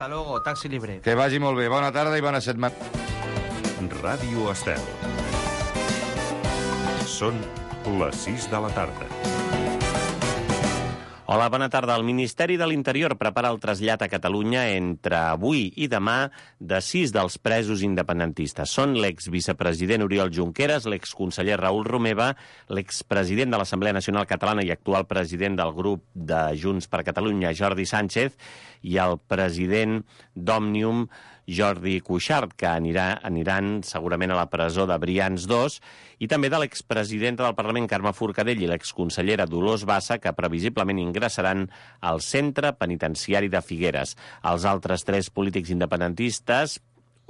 Hasta luego, taxi libre. Que vagi molt bé. Bona tarda i bona setmana. Ràdio Estel. Són les 6 de la tarda. Hola, bona tarda. El Ministeri de l'Interior prepara el trasllat a Catalunya entre avui i demà de 6 dels presos independentistes. Són l'exvicepresident Oriol Junqueras, l'exconseller Raül Romeva, l'expresident de l'Assemblea Nacional Catalana i actual president del grup de Junts per Catalunya, Jordi Sánchez, i el president d'Òmnium, Jordi Cuixart, que aniran segurament a la presó de Brians 2, i també de l'expresidenta del Parlament, Carme Forcadell, i l'exconsellera Dolors Bassa, que previsiblement ingressaran al centre penitenciari de Figueres. Els altres 3 polítics independentistes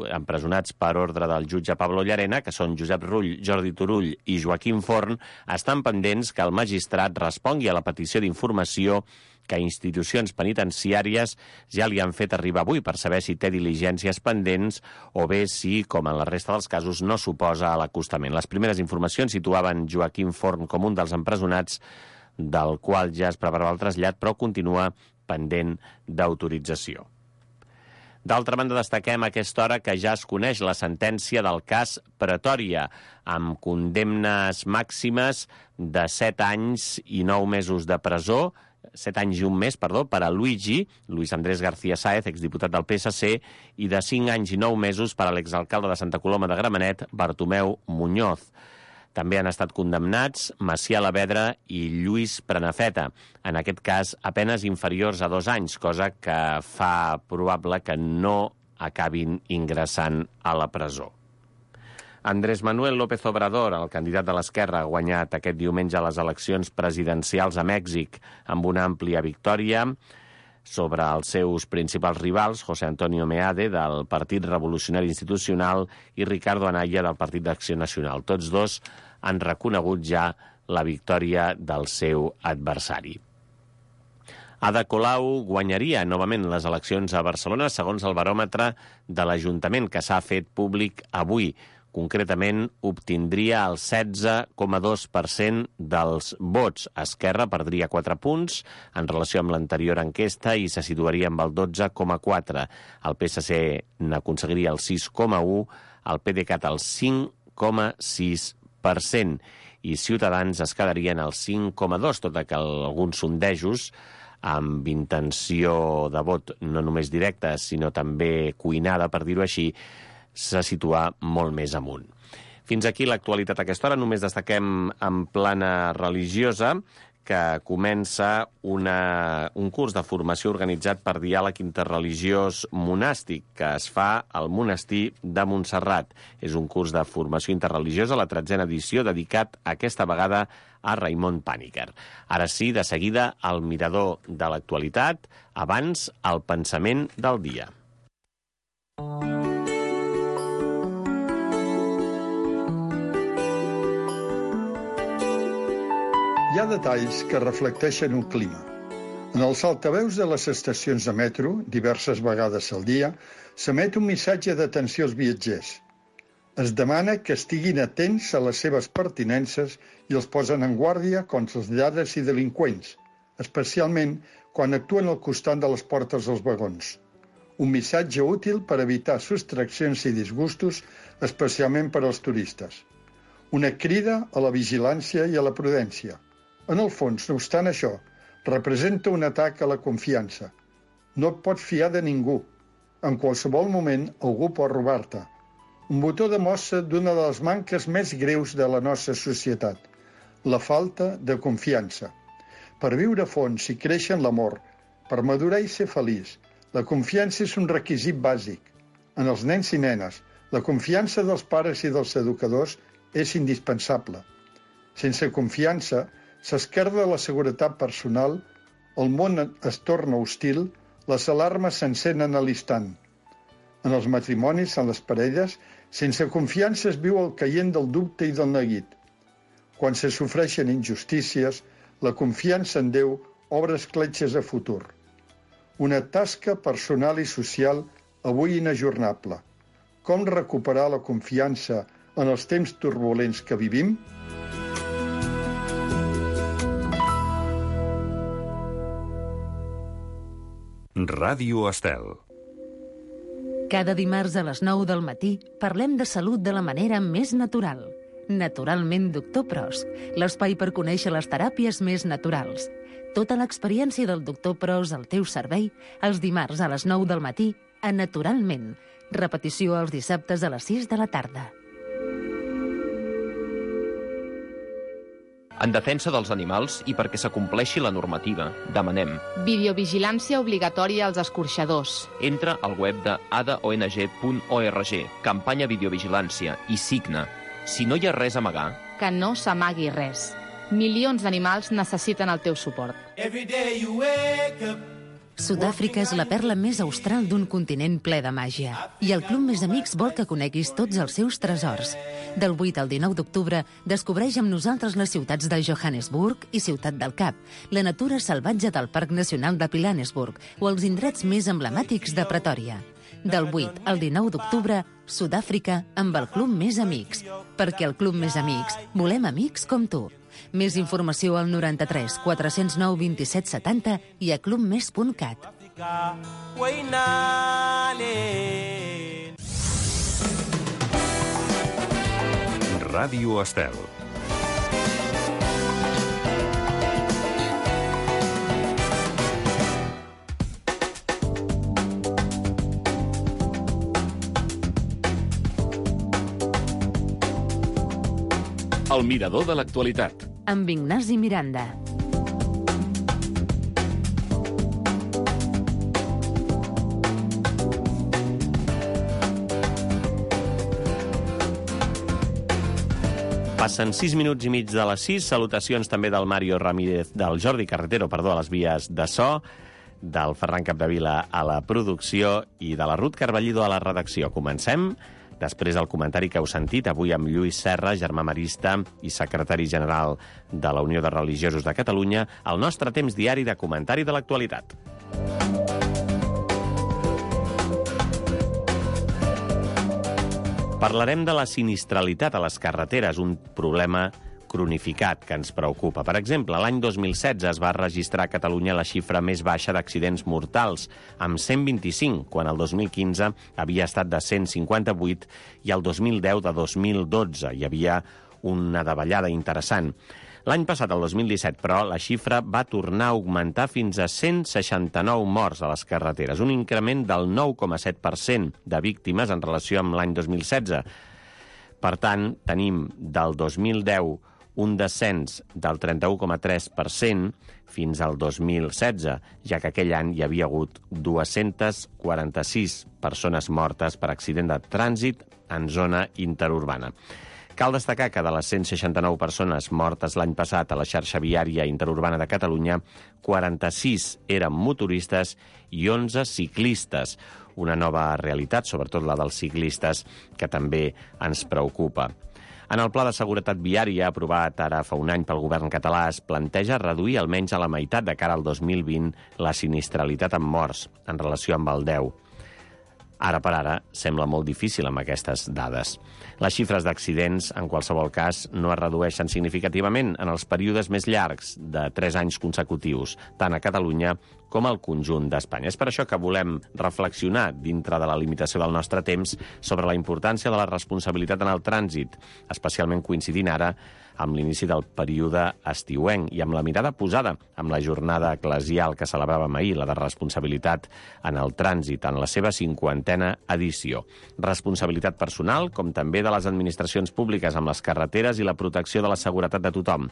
empresonats per ordre del jutge Pablo Llarena, que són Josep Rull, Jordi Turull i Joaquim Forn, estan pendents que el magistrat respongui a la petició d'informació que institucions penitenciàries ja li han fet arribar avui per saber si té diligències pendents o bé si, com en la resta dels casos, no suposa a l'acostament. Les primeres informacions situaven Joaquim Forn com un dels empresonats del qual ja es preparava el trasllat, però continua pendent d'autorització. D'altra banda, destaquem a aquesta hora que ja es coneix la sentència del cas Pretòria, amb condemnes màximes de 7 anys i 9 mesos de presó, 7 anys i un mes, perdó, per a Luis Andrés García Sáez, exdiputat del PSC, i de 5 anys i 9 mesos per a l'exalcalde de Santa Coloma de Gramenet, Bartomeu Muñoz. També han estat condemnats Macià Lavedra i Lluís Prenafeta, en aquest cas a penes inferiors a 2 anys, cosa que fa probable que no acabin ingressant a la presó. Andrés Manuel López Obrador, el candidat de l'Esquerra, ha guanyat aquest diumenge les eleccions presidencials a Mèxic amb una àmplia victòria sobre els seus principals rivals, José Antonio Meade, del Partit Revolucionari Institucional, i Ricardo Anaya, del Partit d'Acció Nacional. Tots dos han reconegut ja la victòria del seu adversari. Ada Colau guanyaria novament les eleccions a Barcelona, segons el baròmetre de l'Ajuntament, que s'ha fet públic avui. Concretament, obtindria el 16,2% dels vots. Esquerra perdria 4 punts en relació amb l'anterior enquesta i se situaria amb el 12,4%. El PSC n'aconseguiria el 6,1%, el PDeCAT el 5,6% i Ciutadans es quedarien al 5,2%, tot i que alguns sondejos amb intenció de vot no només directa, sinó també cuinada, per dir-ho així, se situa molt més amunt. Fins aquí l'actualitat a aquesta hora. Només destaquem en plana religiosa que comença un curs de formació organitzat per Diàleg Interreligiós Monàstic, que es fa al Monestir de Montserrat. És un curs de formació interreligiosa, la 13a edició, dedicat aquesta vegada a Raimon Pàniker. Ara sí, de seguida, el mirador de l'actualitat, abans el pensament del dia. Hi ha detalls que reflecteixen un clima. En els altaveus de les estacions de metro, diverses vegades al dia, s'emet un missatge d'atenció als viatgers. Es demana que estiguin atents a les seves pertinences i els posen en guàrdia contra els lladres i delinqüents, especialment quan actuen al costat de les portes dels vagons. Un missatge útil per evitar sostraccions i disgustos, especialment per als turistes. Una crida a la vigilància i a la prudència. En el fons, no obstant això, representa un atac a la confiança. No et pots fiar de ningú. En qualsevol moment, algú pot robar-te. Un botó de mostra d'una de les manques més greus de la nostra societat, la falta de confiança. Per viure a fons i créixer en l'amor, per madurar i ser feliç, la confiança és un requisit bàsic. En els nens i nenes, la confiança dels pares i dels educadors és indispensable. Sense confiança, s'esquerda la seguretat personal, el món es torna hostil, les alarmes s'encenen a l'instant. En els matrimonis, en les parelles, sense confiança es viu el caient del dubte i del neguit. Quan se sofreixen injustícies, la confiança en Déu obre escletxes a futur. Una tasca personal i social avui inajornable. Com recuperar la confiança en els temps turbulents que vivim? Ràdio Estel. Cada dimarts a les 9 del matí parlem de salut de la manera més natural. Naturalment Doctor Pros, l'espai per conèixer les teràpies més naturals. Tota l'experiència del Doctor Pros al teu servei els dimarts a les 9 del matí a Naturalment. Repetició els dissabtes a les 6 de la tarda. En defensa dels animals i perquè s'acompleixi la normativa, demanem: videovigilància obligatòria als escorxadors. Entra al web de adaong.org, campanya videovigilància, i signa. Si no hi ha res a amagar, Que no s'amagui res. Milions d'animals necessiten el teu suport. Sud-àfrica és la perla més austral d'un continent ple de màgia. I el Club Més Amics vol que coneguis tots els seus tresors. Del 8 al 19 d'octubre, descobreix amb nosaltres les ciutats de Johannesburg i Ciutat del Cap, la natura salvatge del Parc Nacional de Pilanesburg o els indrets més emblemàtics de Pretòria. Del 8 al 19 d'octubre, Sud-àfrica amb el Club Més Amics. Perquè al Club Més Amics volem amics com tu. Més informació al 93 409 27 70 i a clubmes.cat. Ràdio Estel. El mirador de l'actualitat. Amb Ignasi Miranda. Passen 6 minuts i mig de les 6. Salutacions també del Mario Ramírez, del Jordi Carretero, a les vies de so, del Ferran Capdevila a la producció i de la Ruth Carballido a la redacció. Comencem. Després el comentari que heu sentit avui amb Lluís Serra, germà marista i secretari general de la Unió de Religiosos de Catalunya, el nostre temps diari de comentari de l'actualitat. Parlarem de la sinistralitat a les carreteres, un problema cronificat que ens preocupa. Per exemple, l'any 2016 es va registrar a Catalunya la xifra més baixa d'accidents mortals, amb 125, quan el 2015 havia estat de 158 i el 2010 de 2012. Hi havia una davallada interessant. L'any passat, el 2017, però, la xifra va tornar a augmentar fins a 169 morts a les carreteres, un increment del 9,7% de víctimes en relació amb l'any 2016. Per tant, tenim del 2010 un descens del 31,3% fins al 2016, ja que aquell any hi havia hagut 246 persones mortes per accident de trànsit en zona interurbana. Cal destacar que de les 169 persones mortes l'any passat a la xarxa viària interurbana de Catalunya, 46 eren motoristes i 11 ciclistes. Una nova realitat, sobretot la dels ciclistes, que també ens preocupa. En el Pla de Seguretat Viària, aprovat ara fa un any pel govern català, es planteja reduir almenys a la meitat de cara al 2020 la sinistralitat amb morts en relació amb el 10. Ara per ara sembla molt difícil amb aquestes dades. Les xifres d'accidents, en qualsevol cas, no es redueixen significativament en els períodes més llargs de 3 anys consecutius, tant a Catalunya com al conjunt d'Espanya. És per això que volem reflexionar, dintre de la limitació del nostre temps, sobre la importància de la responsabilitat en el trànsit, especialment coincidint ara amb l'inici del període estiuenc i amb la mirada posada amb la jornada eclesial que celebràvem ahir, la de responsabilitat en el trànsit, en la seva 50a edició. Responsabilitat personal, com també de les administracions públiques amb les carreteres i la protecció de la seguretat de tothom.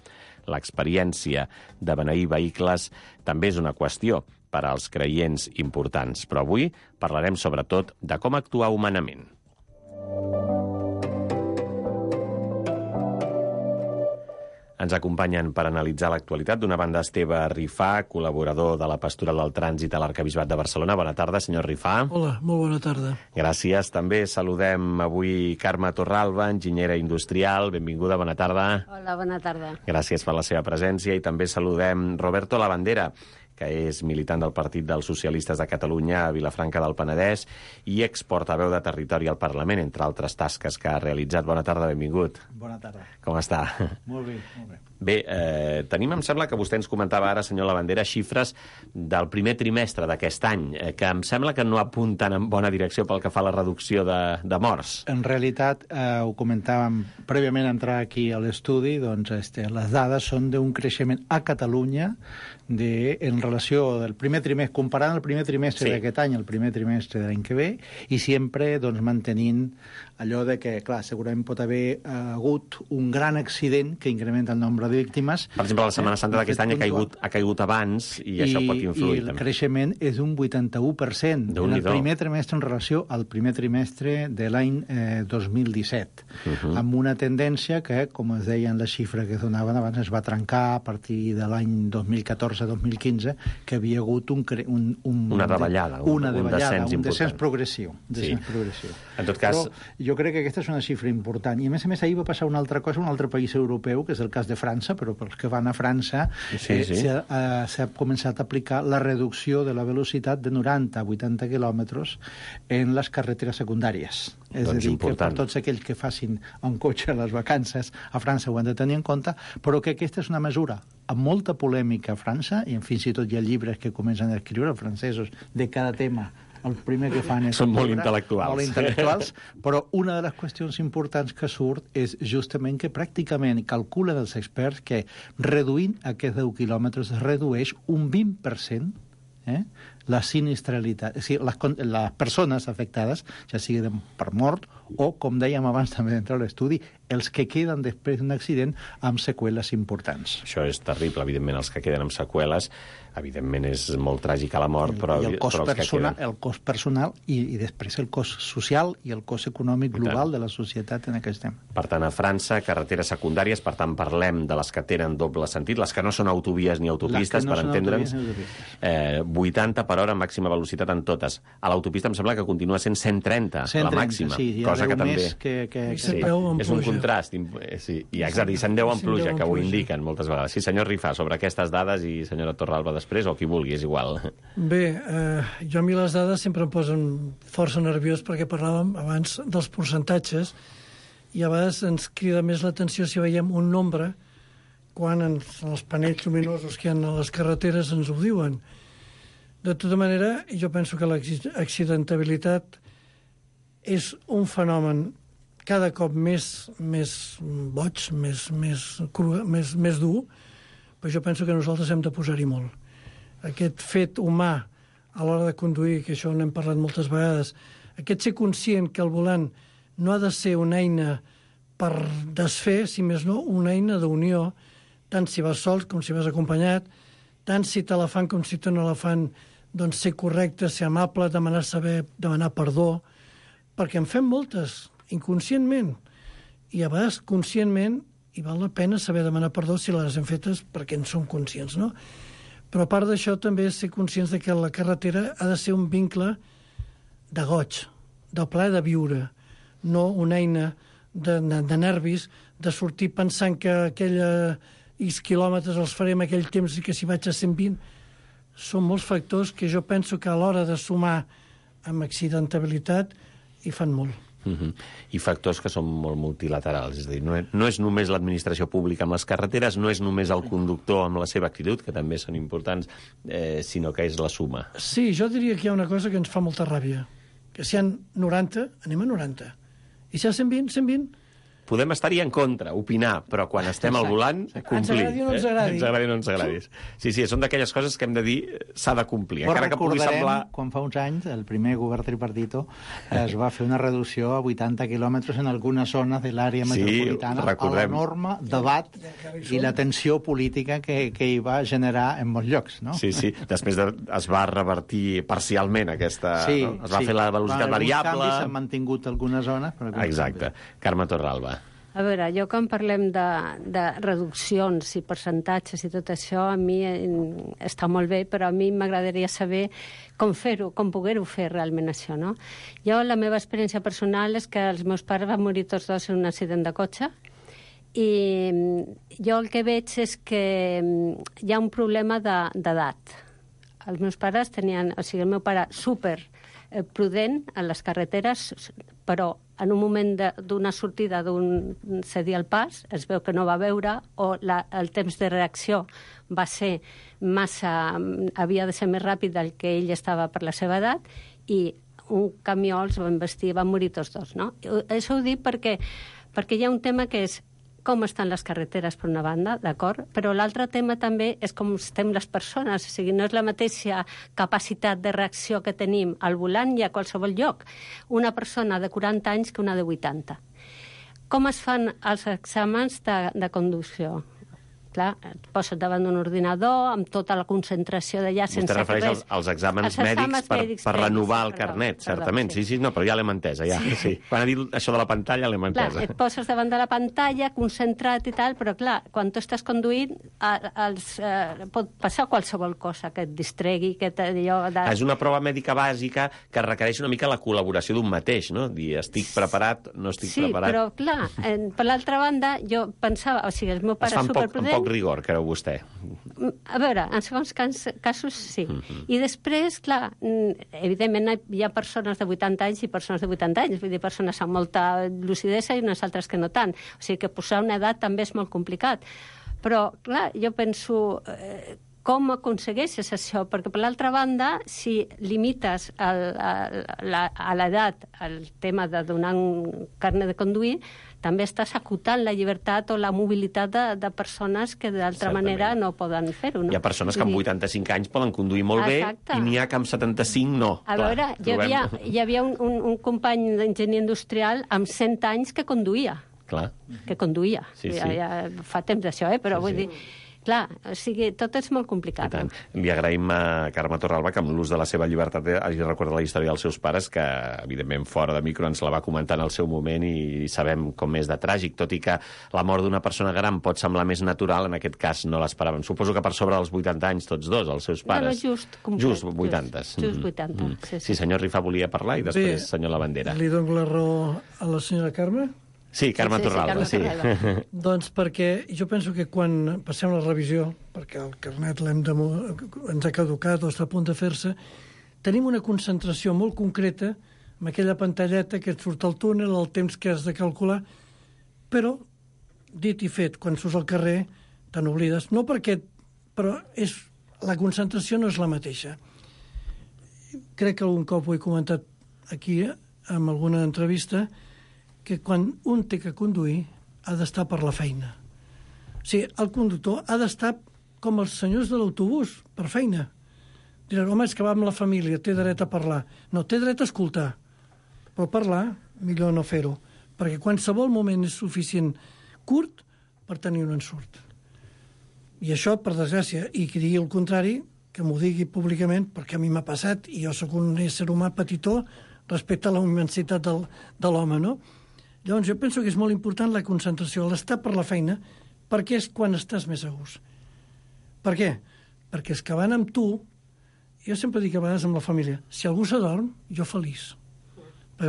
L'experiència de beneir vehicles també és una qüestió per als creients importants, però avui parlarem sobretot de com actuar humanament. Ens acompanyen per analitzar l'actualitat. D'una banda, Esteve Rifà, col·laborador de la Pastoral del Trànsit a l'Arquebisbat de Barcelona. Bona tarda, senyor Rifà. Hola, molt bona tarda. Gràcies. També saludem avui Carme Torralba, enginyera industrial. Benvinguda, bona tarda. Hola, bona tarda. Gràcies per la seva presència. I també saludem Roberto Lavandera, que és militant del Partit dels Socialistes de Catalunya a Vilafranca del Penedès i exportaveu de territori al Parlament, entre altres tasques que ha realitzat. Bona tarda, benvingut. Bona tarda. Com està? Molt bé, molt bé. Bé, tenim, em sembla que vostè ens comentava ara, senyor Lavandera, xifres del primer trimestre d'aquest any, que em sembla que no apunten en bona direcció pel que fa a la reducció de morts. En realitat, ho comentàvem prèviament a entrar aquí a l'estudi, doncs les dades són d'un creixement a Catalunya en relació del primer trimestre, comparant el primer trimestre d'aquest any al primer trimestre de l'any que ve, i sempre doncs, mantenint allò de que, clar, segurament pot haver hagut un gran accident que incrementa el nombre de víctimes. Per exemple, la Setmana Santa d'aquest any ha caigut abans i això pot influir. I el creixement és d'un 81% en el primer trimestre en relació al primer trimestre de l'any 2017, amb una tendència que, com es deien les xifres que es donaven abans, es va trencar a partir de l'any 2014-2015, que havia hagut una davallada, un descens progressiu. En tot cas... Però jo crec que aquesta és una xifra important. I, a més, ahir va passar una altra cosa, un altre país europeu, que és el cas de França, però pels que van a França s'ha començat a aplicar la reducció de la velocitat de 90 a 80 quilòmetres en les carreteres secundàries. És a dir, que per tots aquells que facin en cotxe les vacances a França ho han de tenir en compte, però que aquesta és una mesura amb molta polèmica a França, i fins i tot hi ha llibres que comencen a escriure els francesos de cada tema. El primer que fan és... Són molt intel·lectuals. Però una de les qüestions importants que surt és justament que pràcticament calculen els experts que reduint aquests 10 quilòmetres es redueix un 20% la sinistralitat, és a dir, les persones afectades, ja sigui per mort o, com dèiem abans també d'entrar a l'estudi, els que queden després d'un accident amb seqüeles importants. Això és terrible, evidentment, els que queden amb seqüeles, evidentment és molt tràgica la mort, però el cost personal i després el cost social i el cost econòmic global de la societat en aquest tema. Per tant, a França, carreteres secundàries, per tant, parlem de les que tenen doble sentit, les que no són autovies ni autopistes, per entendre'ns, 80 per hora màxima velocitat en totes. A l'autopista em sembla que continua sent 130, la màxima, cosa que també... És un contrast. I exacte, i 110 en pluja, que ho indiquen moltes vegades. Sí, senyor Rifà, sobre aquestes dades, i senyora Torralba després, o qui vulgui, és igual. Bé, jo a mi les dades sempre em posen força nerviós perquè parlàvem abans dels percentatges i a vegades ens crida més l'atenció si veiem un nombre quan en els panells lluminosos que hi ha a les carreteres ens ho diuen. De tota manera, jo penso que l'accidentabilitat és un fenomen cada cop més boig, més dur, però jo penso que nosaltres hem de posar-hi molt. Aquest fet humà a l'hora de conduir, que això n'hem parlat moltes vegades, aquest ser conscient que el volant no ha de ser una eina per desfer, si més no, una eina d'unió, tant si vas sol com si vas acompanyat, tant si te la fan com si te no la fan, doncs ser correcte, ser amable, demanar perdó, perquè en fem moltes, inconscientment, i a vegades conscientment, i val la pena saber demanar perdó si les hem fetes perquè en som conscients, no? Però a part d'això també és ser conscients de que la carretera ha de ser un vincle de goig, de plaer de viure, no una eina de nervis, de sortir pensant que X quilòmetres els farem aquell temps i que si vaig a 120... Són molts factors que jo penso que a l'hora de sumar amb accidentabilitat hi fan molt. I factors que són molt multilaterals, és a dir, no és només l'administració pública amb les carreteres, no és només el conductor amb la seva actitud, que també són importants, sinó que és la suma. Sí, jo diria que hi ha una cosa que ens fa molta ràbia, que si hi ha 90, anem a 90, i si hi ha 120, 120. Podem estar-hi en contra, opinar, però quan estem al volant, complir. Ens agradi o no ens agradi. Ens agradi o no ens agradi. Sí, són d'aquelles coses que hem de dir s'ha de complir. Però recordarem quan fa uns anys el primer govern tripartito es va fer una reducció a 80 quilòmetres en algunes zones de l'àrea metropolitana a l'enorme debat i la tensió política que hi va generar en molts llocs, no? Sí. Després es va revertir parcialment aquesta... Es va fer la velocitat variable... Alguns canvis s'han mantingut algunes zones... Exacte. Carme Torralba. A veure, jo quan parlem de reduccions i percentatges i tot això, a mi està molt bé, però a mi m'agradaria saber com fer-ho, com poder-ho fer realment això, no? Jo, la meva experiència personal és que els meus pares van morir tots dos en un accident de cotxe i jo el que veig és que hi ha un problema d'edat. Els meus pares tenien, o sigui, el meu pare prudent a les carreteres, però en un moment d'una sortida d'un cedir el pas, es veu que no va veure, o el temps de reacció va ser havia de ser més ràpid del que ell estava per la seva edat, i un camió els va embestir, van morir tots dos, no? Això ho dic perquè hi ha un tema que és com estan les carreteres, per una banda, d'acord? Però l'altre tema també és com estem les persones, o sigui, no és la mateixa capacitat de reacció que tenim al volant i a qualsevol lloc. Una persona de 40 anys que una de 80. Com es fan els exàmens de conducció? Clar, et poses davant d'un ordinador amb tota la concentració d'allà sense res. Vostè refereix als exàmens mèdics per renovar el carnet, certament. Sí, no, però ja l'hem entès, ja. Sí. Quan ha dit això de la pantalla l'hem entès. Clar, et poses davant de la pantalla, concentrat i tal, però clar, quan tu estàs conduint pot passar qualsevol cosa que et distregui, que allò... És una prova mèdica bàsica que requereix una mica la col·laboració d'un mateix, no? Dir, estic preparat, no estic preparat... Sí, però clar, per l'altra banda, jo pensava, o sigui, el meu pare superprudent... Poc rigor, creu vostè? A veure, en segons casos, sí. I després, clar, evidentment hi ha persones de 80 anys i persones de 80 anys, vull dir, persones amb molta lucidesa i unes altres que no tant. O sigui que posar una edat també és molt complicat. Però, clar, jo penso... Com aconsegueixes això? Perquè, per l'altra banda, si limites a l'edat el tema de donar un carnet de conduir, també estàs acotant la llibertat o la mobilitat de persones que d'altra manera no poden fer-ho. No? Hi ha persones que amb 85 anys poden conduir molt bé i n'hi ha que amb 75 no. A veure, hi havia un company d'enginyer industrial amb 100 anys que conduïa. Clar. Que conduïa. Sí. Ja fa temps d'això, però vull dir... Clar, o sigui, tot és molt complicat. Li agraïm a Carme Torralba que amb l'ús de la seva llibertat hagi recordat la història dels seus pares, que evidentment fora de micro ens la va comentar en el seu moment i sabem com és de tràgic, tot i que la mort d'una persona gran pot semblar més natural, en aquest cas no l'esperàvem. Suposo que per sobre dels 80 anys tots dos, els seus pares. No, just 80. Just 80, sí. Senyor Rifa volia parlar i després senyor Lavandera. Li dono la raó a la senyora Carme? Sí, Carme Torralba, sí. Doncs perquè jo penso que quan passem la revisió, perquè el carnet ens ha caducat o està a punt de fer-se, tenim una concentració molt concreta amb aquella pantalleta que et surt al túnel, el temps que has de calcular, però, dit i fet, quan surts al carrer, te n'oblides. No perquè... Però la concentració no és la mateixa. Crec que algun cop ho he comentat aquí, en alguna entrevista, que quan un té que conduir ha d'estar per la feina. O sigui, el conductor ha d'estar com els senyors de l'autobús, per feina. Diran, home, és que va amb la família, té dret a parlar. No, té dret a escoltar. Però parlar, millor no fer-ho, perquè qualsevol moment és suficient curt per tenir un ensurt. I això, per desgràcia, i qui digui el contrari, que m'ho digui públicament, perquè a mi m'ha passat, i jo sóc un ésser humà petitó respecte a la immensitat de l'home, no? Llavors, jo penso que és molt important la concentració, l'estar per la feina, perquè és quan estàs més a gust. Per què? Perquè els que van amb tu, jo sempre dic a vegades amb la família, si algú s'adorm, jo feliç. Perquè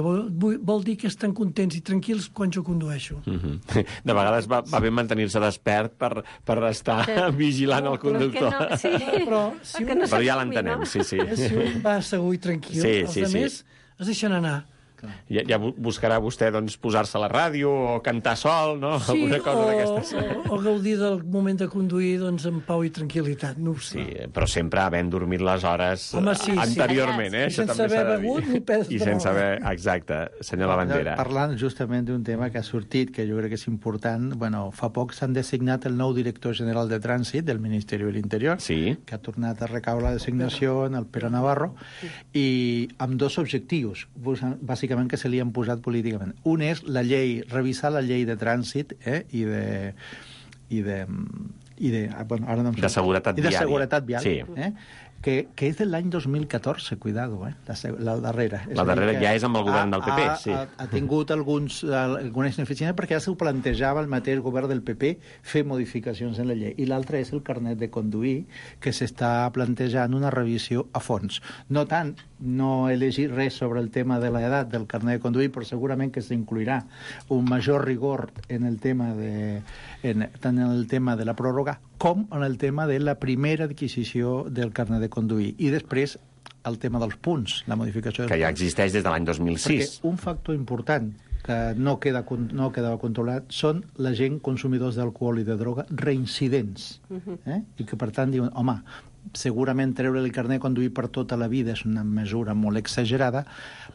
vol dir que estan contents i tranquils quan jo condueixo. De vegades va bé mantenir-se despert per estar vigilant el conductor. Però ja l'entenem, sí. Si un va segur i tranquil, els altres es deixen anar. Ja buscarà vostè doncs, posar-se a la ràdio o cantar sol, no? Sí, alguna cosa d'aquestes. O gaudir del moment de conduir doncs, amb pau i tranquil·litat, no ho sé. Sí, però sempre havent dormit les hores anteriorment, eh? I sense haver begut ni perdre. I sense haver... Exacte, senyor Lavandera. Parlant justament d'un tema que ha sortit, que jo crec que és important, bueno, fa poc s'han designat el nou director general de Trànsit del Ministeri de l'Interior, que ha tornat a recaure la designació en el Pere Navarro, i amb dos objectius, bàsicament que se li han posat políticament. Un és la llei, revisar la llei de trànsit de seguretat viària. Sí. Que és de l'any 2014, cuidado, la darrera. La darrera ja és amb el govern del PP, sí. Ha tingut algunes ineficiències perquè ja s'ho plantejava el mateix govern del PP fer modificacions en la llei. I l'altra és el carnet de conduir, que s'està plantejant una revisió a fons. No tant, no he llegit res sobre el tema de l'edat del carnet de conduir, però segurament que s'incluirà un major rigor en el tema tant en el tema de la pròrroga com en el tema de la primera adquisició del carnet de conduir. I després el tema dels punts, la modificació dels que ja punts. existeix des de l'any 2006. Perquè un factor important que no quedava controlat són la gent consumidors d'alcohol i de droga reincidents. I que, per tant, diuen, home, segurament treure el carnet conduir per tota la vida és una mesura molt exagerada,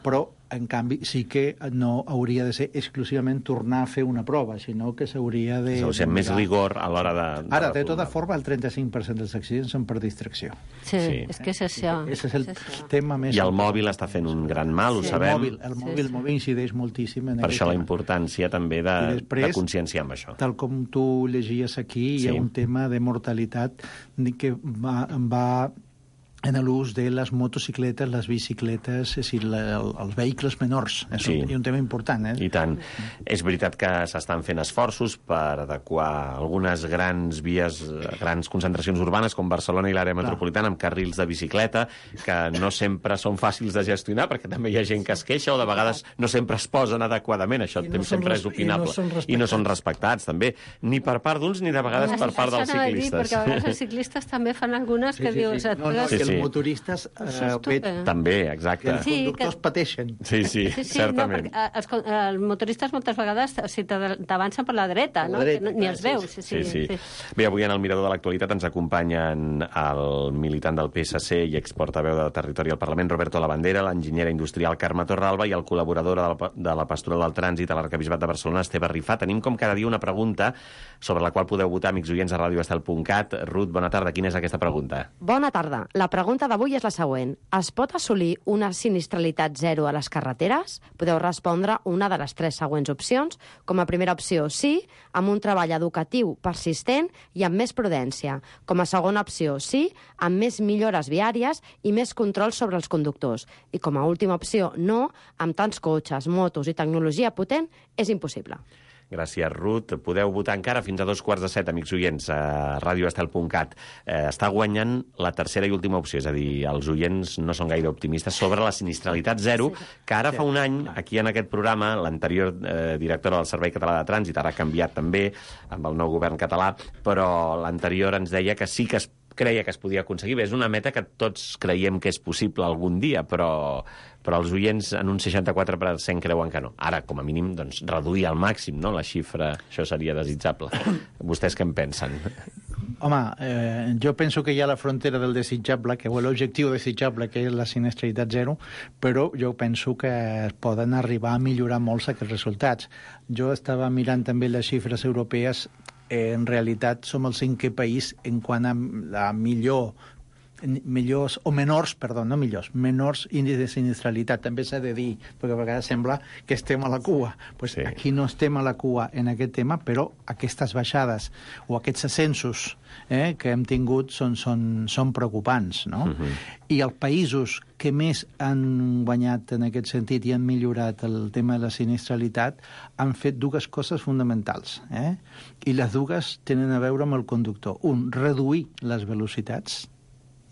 però, en canvi, sí que no hauria de ser exclusivament tornar a fer una prova, sinó que s'hauria de... O sigui, més rigor a l'hora de Ara, de tota forma, el 35% dels accidents són per distracció. Sí, és que és això. Ese és el tema més... I el mòbil està fent un gran mal, ho sabem. El mòbil incideix moltíssim en per aquest això la tema. importància també de conscienciar amb això. Tal com tu llegies aquí, hi ha un tema de mortalitat que va en l'ús de les motocicletes, les bicicletes, és a dir, els vehicles menors. És un tema important. I tant. És veritat que s'estan fent esforços per adequar algunes grans vies, grans concentracions urbanes, com Barcelona i l'àrea metropolitana, amb carrils de bicicleta, que no sempre són fàcils de gestionar, perquè també hi ha gent que es queixa o de vegades no sempre es posen adequadament. Això sempre és opinable. I no són respectats, també. Ni per part d'uns, ni de vegades per part dels ciclistes. Perquè a vegades els ciclistes també fan algunes que dius... Els motoristes també, exacte. Els conductors pateixen. Sí, certament. Els motoristes moltes vegades t'avancen per la dreta, no? Ni els veus. Bé, avui en el Mirador de l'Actualitat ens acompanyen el militant del PSC i exportaveu de Territori al Parlament, Roberto Labandera, l'enginyera industrial Carme Torralba i el col·laborador de la Pastoral del Trànsit a l'Arquebisbat de Barcelona, Esteve Rifà. Tenim com cada dia una pregunta sobre la qual podeu votar, amics oients, a radioestel.cat. Ruth, bona tarda. Quina és aquesta pregunta? Bona tarda. La pregunta d'avui és la següent. Es pot assolir una sinistralitat zero a les carreteres? Podeu respondre una de les 3 següents opcions. Com a primera opció, sí, amb un treball educatiu persistent i amb més prudència. Com a segona opció, sí, amb més millores viàries i més control sobre els conductors. I com a última opció, no, amb tants cotxes, motos i tecnologia potent, és impossible. Gràcies, Ruth. Podeu votar encara fins a 6:45, amics oients, a radioestel.cat. Està guanyant la tercera i última opció, és a dir, els oients no són gaire optimistes sobre la sinistralitat zero, que ara fa un any, aquí en aquest programa, l'anterior directora del Servei Català de Trànsit, ara ha canviat també amb el nou govern català, però l'anterior ens deia que sí que es creia que es podia aconseguir. Bé, és una meta que tots creiem que és possible algun dia, però els oients en un 64% creuen que no. Ara, com a mínim, doncs, reduir al màxim, no?, la xifra, això seria desitjable. Vostès què en pensen? Home, jo penso que hi ha la frontera del desitjable, que l'objectiu desitjable, que és la sinistralitat zero, però jo penso que es poden arribar a millorar molts aquests resultats. Jo estava mirant també les xifres europees. En realitat som el 5è país en quant a la menors índexs de sinistralitat. També s'ha de dir, perquè a vegades sembla que estem a la cua. Pues aquí no estem a la cua en aquest tema, però aquestes baixades o aquests ascensos que hem tingut són preocupants, no? I els països que més han guanyat en aquest sentit i han millorat el tema de la sinistralitat han fet 2 coses fonamentals, i les 2 tenen a veure amb el conductor. Un, reduir les velocitats,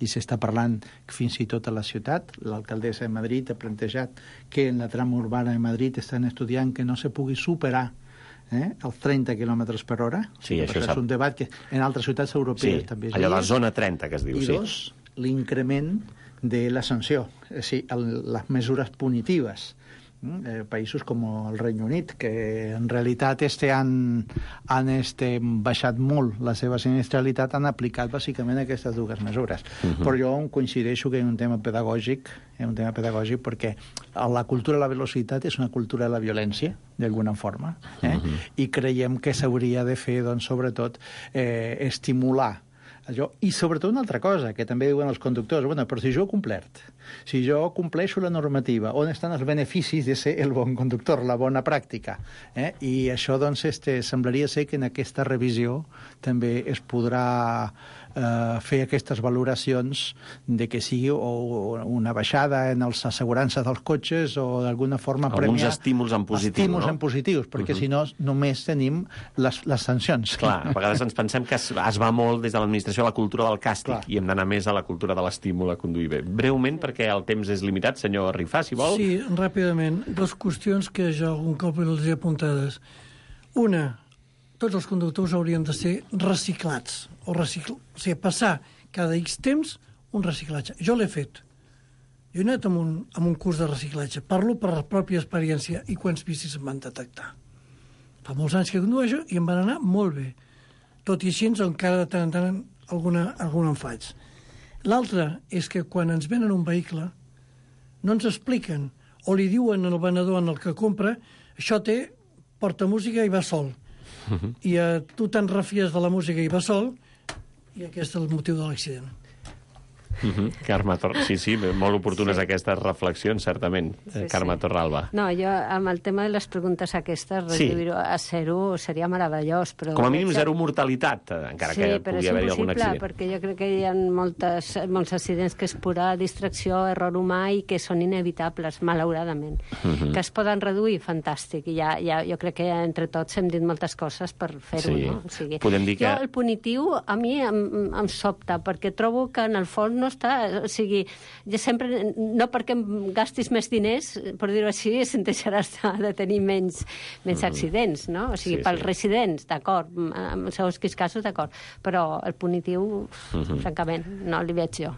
i s'està parlant fins i tot a la ciutat. L'alcaldessa de Madrid ha plantejat que en la trama urbana de Madrid estan estudiant que no se pugui superar els 30 km per hora. Sí, això és un debat que en altres ciutats europees també és. Allò de la zona 30, que es diu. I 2, l'increment de la sanció, és a dir, les mesures punitives. Països com el Regne Unit, que en realitat han baixat molt la seva sinistralitat, han aplicat bàsicament aquestes 2 mesures. Però jo coincideixo que hi ha un tema pedagògic, perquè la cultura de la velocitat és una cultura de la violència, d'alguna forma, i creiem que s'hauria de fer, doncs, sobretot, estimular allò. I sobretot una altra cosa, que també diuen els conductors, però si jo he complert, si jo compleixo la normativa, on estan els beneficis de ser el bon conductor, la bona pràctica? I això, doncs, semblaria ser que en aquesta revisió també es podrà fer aquestes valoracions de que sigui una baixada en les assegurances dels cotxes o d'alguna forma premiar... Alguns estímuls en positiu, estímuls en positius, perquè si no només tenim les sancions. Clar, a vegades ens pensem que es va molt des de l'administració a la cultura del càstig i hem d'anar més a la cultura de l'estímul a conduir bé. Breument, perquè el temps és limitat, senyor Rifà, si vol. Sí, ràpidament. 2 qüestions que jo algun cop les he apuntades. Una, tots els conductors haurien de ser reciclats, o sigui, passar cada X temps un reciclatge. Jo l'he fet. Jo he anat amb un curs de reciclatge. Parlo per la pròpia experiència i quants vicis em van detectar. Fa molts anys que condueixo i em van anar molt bé. Tot i així, encara de tant en tant alguna en faig. L'altre és que quan ens venen un vehicle no ens expliquen o li diuen al venedor en el que compra això porta música i va sol. I tu te'n refies de la música i va sol i aquest és el motiu de l'accident. Carme sí, molt oportunes aquestes reflexions, certament. Carme Torralba. No, jo amb el tema de les preguntes aquestes, reduir-ho a 0 seria meravellós. Però com a mínim 0 mortalitat, encara que pugui haver-hi algun accident. Sí, però és impossible, perquè jo crec que hi ha molts accidents que és pura distracció, error humà i que són inevitables, malauradament. Que es poden reduir, fantàstic. I jo crec que entre tots hem dit moltes coses per fer-ho, no? O sigui, podem dir que... Jo, el punitiu, a mi em sobta, perquè trobo que en el fons no està... O sigui, jo sempre... No perquè em gastis més diners, per dir-ho així, se'n deixaràs de tenir menys accidents, no? O sigui, pels residents, d'acord, en segons quins casos, d'acord, però el punitiu, francament, no li veig jo.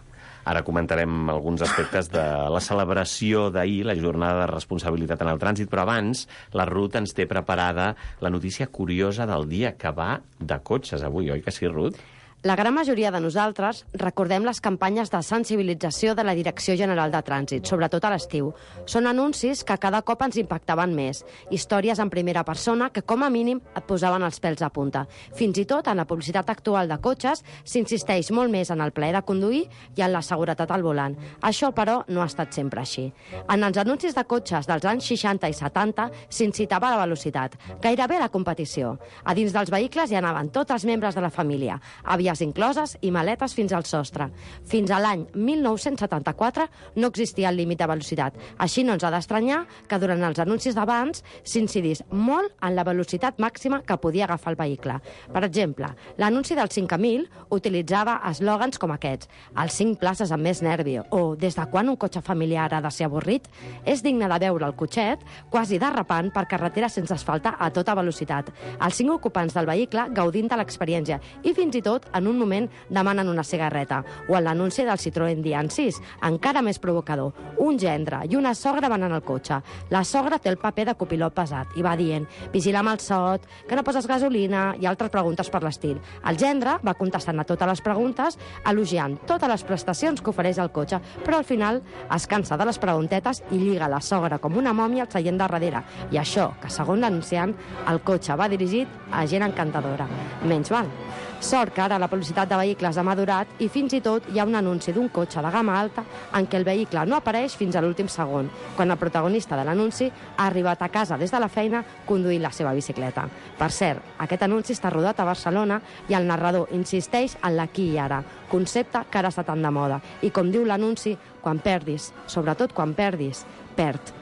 Ara comentarem alguns aspectes de la celebració d'ahir, la jornada de responsabilitat en el trànsit, però abans la Ruth ens té preparada la notícia curiosa del dia, que va de cotxes avui, oi que sí, Ruth? La gran majoria de nosaltres recordem les campanyes de sensibilització de la Direcció General de Trànsit, sobretot a l'estiu. Són anuncis que cada cop ens impactaven més, històries en primera persona que com a mínim et posaven els pèls a punta. Fins i tot en la publicitat actual de cotxes s'insisteix molt més en el plaer de conduir i en la seguretat al volant. Això, però, no ha estat sempre així. En els anuncis de cotxes dels anys 60 i 70 s'incitava la velocitat, gairebé la competició. A dins dels vehicles hi anaven tots els membres de la família, incloses i maletes fins al sostre. Fins a l'any 1974 no existia el límit de velocitat. Així no ens ha d'estranyar que durant els anuncis d'abans s'incidís molt en la velocitat màxima que podia agafar el vehicle. Per exemple, l'anunci del 5000 utilitzava eslògans com aquests: els 5 places amb més nervi, o des de quan un cotxe familiar ha de ser avorrit? És digne de veure el cotxet quasi derrapant per carretera sense asfaltar a tota velocitat. Els 5 ocupants del vehicle gaudint de l'experiència i fins i tot en un moment demanen una cigarreta. O en l'anunci del Citroën Dian 6, encara més provocador. Un gendre i una sogra van en el cotxe. La sogra té el paper de copilot pesat i va dient: vigila amb el sot, que no poses gasolina, i altres preguntes per l'estil. El gendre va contestant a totes les preguntes, elogiant totes les prestacions que ofereix el cotxe, però al final es cansa de les preguntetes i lliga la sogra com una mòmia al seient de darrere. I això, que segons l'anunciant, el cotxe va dirigit a gent encantadora. Menys mal. Sort que ara la publicitat de vehicles ha madurat i fins i tot hi ha un anunci d'un cotxe de gamma alta en què el vehicle no apareix fins a l'últim segon, quan el protagonista de l'anunci ha arribat a casa des de la feina conduint la seva bicicleta. Per cert, aquest anunci està rodat a Barcelona i el narrador insisteix en l'aquí i ara, concepte que ara està tan de moda. I com diu l'anunci, quan perdis, sobretot quan perdis, perd.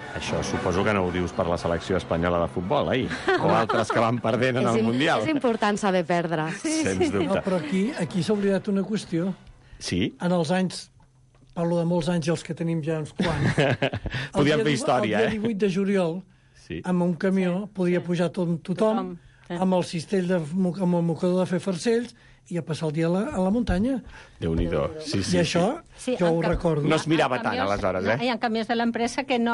Això suposo que no ho dius per la selecció espanyola de futbol, o altres que van perdent en el Mundial. És important saber perdre. Sens dubte. No, però aquí s'ha oblidat una qüestió. Sí? En els anys, parlo de molts anys, els que tenim ja uns quants. Podíem fer història, El dia 18 de juliol, amb un camió, podia pujar tothom, amb el cistell, amb el mocador de fer farcells, i a passar el dia a la muntanya. Déu-n'hi-do. Sí, I això, jo ho recordo. No es mirava tant, aleshores, Hi ha camions de l'empresa que no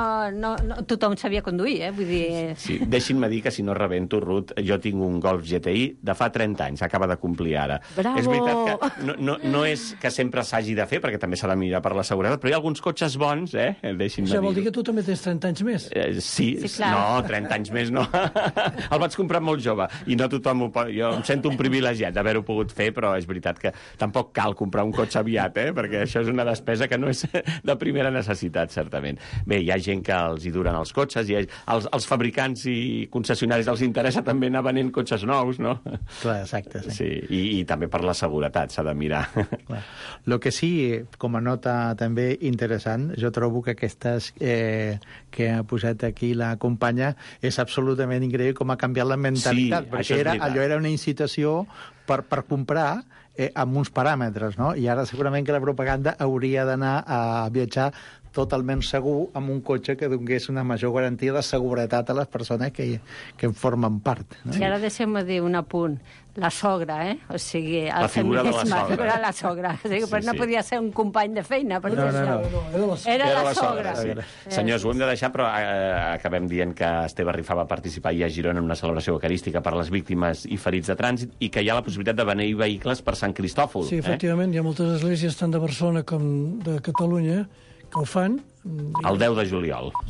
tothom sabia conduir, vull dir... Sí, deixin-me dir que, si no rebento, Ruth, jo tinc un Golf GTI de fa 30 anys, acaba de complir ara. Bravo! És veritat que no és que sempre s'hagi de fer, perquè també s'ha de mirar per la seguretat, però hi ha alguns cotxes bons, deixin-me dir. Això vol dir que tu també tens 30 anys més? Sí, no, 30 anys més no. El vaig comprar molt jove, i no tothom ho pot... Jo em sento un privilegiat d'haver-ho pogut fer, però és veritat que tampoc cal comprar un cotxe aviat, perquè això és una despesa que no és de primera necessitat, certament. Bé, hi ha gent que els hi duren els cotxes, i els fabricants i concessionaris els interessa també anar venent cotxes nous, no? Clar, exacte. Sí, i també per la seguretat s'ha de mirar. Clar. Lo que sí, com a nota també interessant, jo trobo que aquestes que ha posat aquí la companya és absolutament increïble com ha canviat la mentalitat, perquè allò era una incitació per comprar amb uns paràmetres, no? I ara segurament que la propaganda hauria d'anar a viatjar totalment segur amb un cotxe que donés una major garantia de seguretat a les persones que en formen part. No? I ara deixem-me dir un apunt. La sogra, O sigui, el la figura de la sogra. Era la sogra. O sigui, però no podia ser un company de feina. No. Era la sogra. Sí. Senyors, ho hem de deixar, però acabem dient que Esteve Rifà va participar ahir a Girona en una celebració eucarística per les víctimes i ferits de trànsit i que hi ha la possibilitat de beneir vehicles per Sant Cristòfol. Sí, efectivament, hi ha moltes esglésies, tant de Barcelona com de Catalunya, que ho fan. El 10 de juliol.